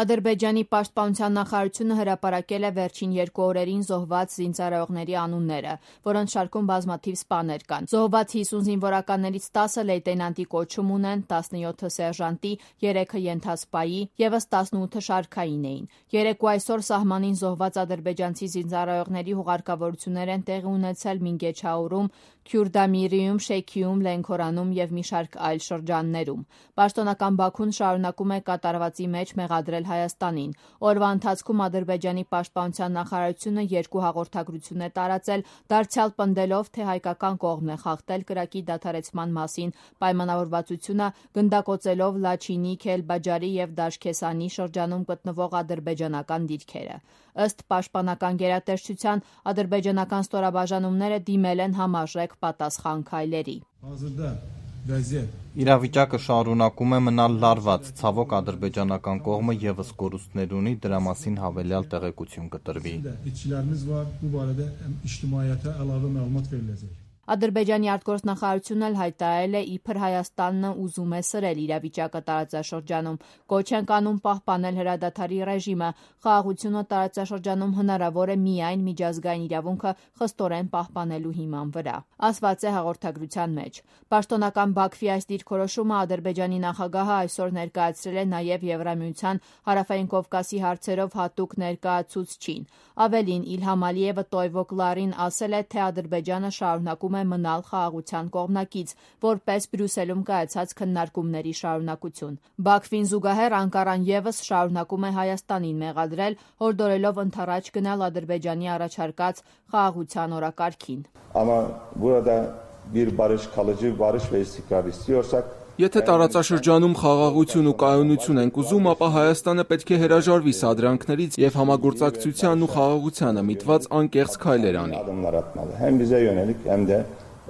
Ադրբեջանի պաշտպանության նախարարությունը հրապարակել է վերջին 2 օրերին զոհված զինծառայողների անունները, որոնց շարքում բազմաթիվ սպաներ կան։ Զոհված 50 զինվորականներից 10-ը լեյտենանտի կոչում ունեն, 17-ը սերժանտի, 3-ը ենթասպայի, ևս 18-ը շարքային էին։ Երեկ ու այսօր սահմանին զոհված ադրբեջանցի զինծառայողների հուղարկավորություններ են տեղի ունեցել Մինգեչաուրում, Քյուրդամիրիում, Շեքիում, Լենքորանում եւ մի շարք այլ շրջաններում։ Պաշտոնական Բաքուն շարունակում է կատարվածի մեջ մեղադրել Հայաստանին։ Օրվա ընթացքում Ադրբեջանի պաշտպանության նախարարությունը 2 հաղորդագրություն է տարածել, դարձյալ պնդելով, թե հայկական կողմն է խախտել կրակի դադարեցման մասին պայմանավորվածությունը, գնդակոծելով Լաչինի, Քելբաջարի եւ Դաշքեսանի շրջանում գտնվող ադրբեջանական դիրքերը։ Ըստ պաշտպանական գերատեսչության, ադրբեջանական ստորաբաժանումները դիմել են համարժեք պատասխան քայլերի։ Իրավիճակը շարունակում է մնալ լարված, ցավոք ադրբեջանական կողմը ևս կորուստներ ունի, դրա մասին հավելյալ տեղեկություն կտրվի։ Ադրբեջանի արտգործնախարարությունն էլ հայտարարել է, իբր Հայաստանն ուզում է սրել իրավիճակը տարածաշրջանում։ Կոչ են անում պահպանել հրադադարի ռեժիմը, խաղաղությունը տարածաշրջանում հնարավոր է միայն միջազգային իրավունքը խստորեն պահպանելու հիման վրա, ասված է հաղորդագրության մեջ։ Պաշտոնական Բաքվի այս դիրքորոշումը Ադրբեջանի նախագահը այսօր ներկայացրել է նաև Եվրամիության Հարավային Կովկասի հարցերով հատուկ ներկայացուցչին։ Ավելին, Իլհամ Ալիևը Տոյվոկլարին ասել է, թե Ադրբեջանը շարունակում է մնալ խաղաղության կողմնակից, որպես Բրյուսելում կայացած քննարկումների շարունակություն։ Բաքվին զուգահեռ Անկարան ևս շարունակում է Հայաստանին մեղադրել, հորդորելով ընդառաջ գնալ Ադրբեջանի առաջարկած խաղաղության օրակարգին։ Եթե տարածաշրջանում խաղաղություն ու կայունություն ենք ուզում, ապա Հայաստանը պետք է հրաժարվի սադրանքներից եւ համագործակցությանն ու խաղաղությանը միտված անկեղծ քայլեր անի։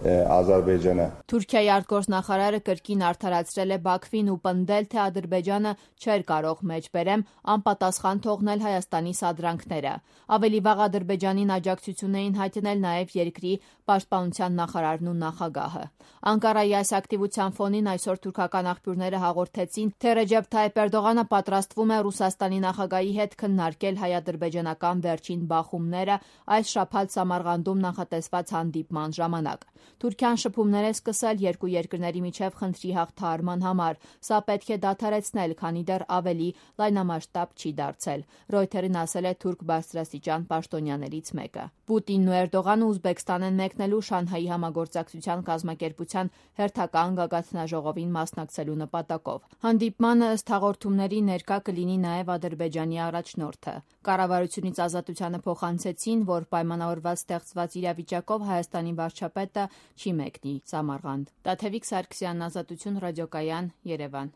Թուրքիայի արտգործնախարարը կրկին արդարացրել է Բաքվին ու պնդել, թե Ադրբեջանը չէր կարող մեջբերեմ անպատասխան թողնել Հայաստանի սադրանքները։ Ավելի վաղ Ադրբեջանին աջակցություն էին հայտնել նաև երկրի պաշտպանության նախարարն ու նախագահը։ Անկարայի այս ակտիվության ֆոնին այսօր թուրքական աղբյուրները հաղորդեցին, թե Ռեջեփ Թայիփ Էրդողանը պատրաստվում է Ռուսաստանի նախագահի հետ քննարկել հայ-ադրբեջանական վերջին բախումները այս շաբաթ Սամարղանդում նախատեսված հանդիպման ժամանակ։ Թուրքիան շփումներ է սկսել երկու երկրների միջև խնդրի հաղթահարման համար։ Սա պետք է դադարեցնել, քանի դեռ ավելի լայնամասշտաբ չի դարձել, Ռոյթերին ասել է թուրք բարձրաստիճան պաշտոնյաներից մեկը։ Պուտինն ու Էրդողանը Ուզբեկստան են մեկնելու Շանհայի համագործակցության կազմակերպության հերթական գագաթնաժողովին մասնակցելու նպատակով։ Հանդիպմանը ըստ հաղորդումների ներկա կլինի նաև Ադրբեջանի առաջնորդը։ Կառավարությունից Ազատությանը փոխանցեցին, որ պայմանավորված ստեղծված իրավիճակով Հայաստանի վարչապետը չի մեկնի Սամարղանդ։ Տաթևիկ Սարգսյան, Ազատություն ռադիոկայան, Երևան։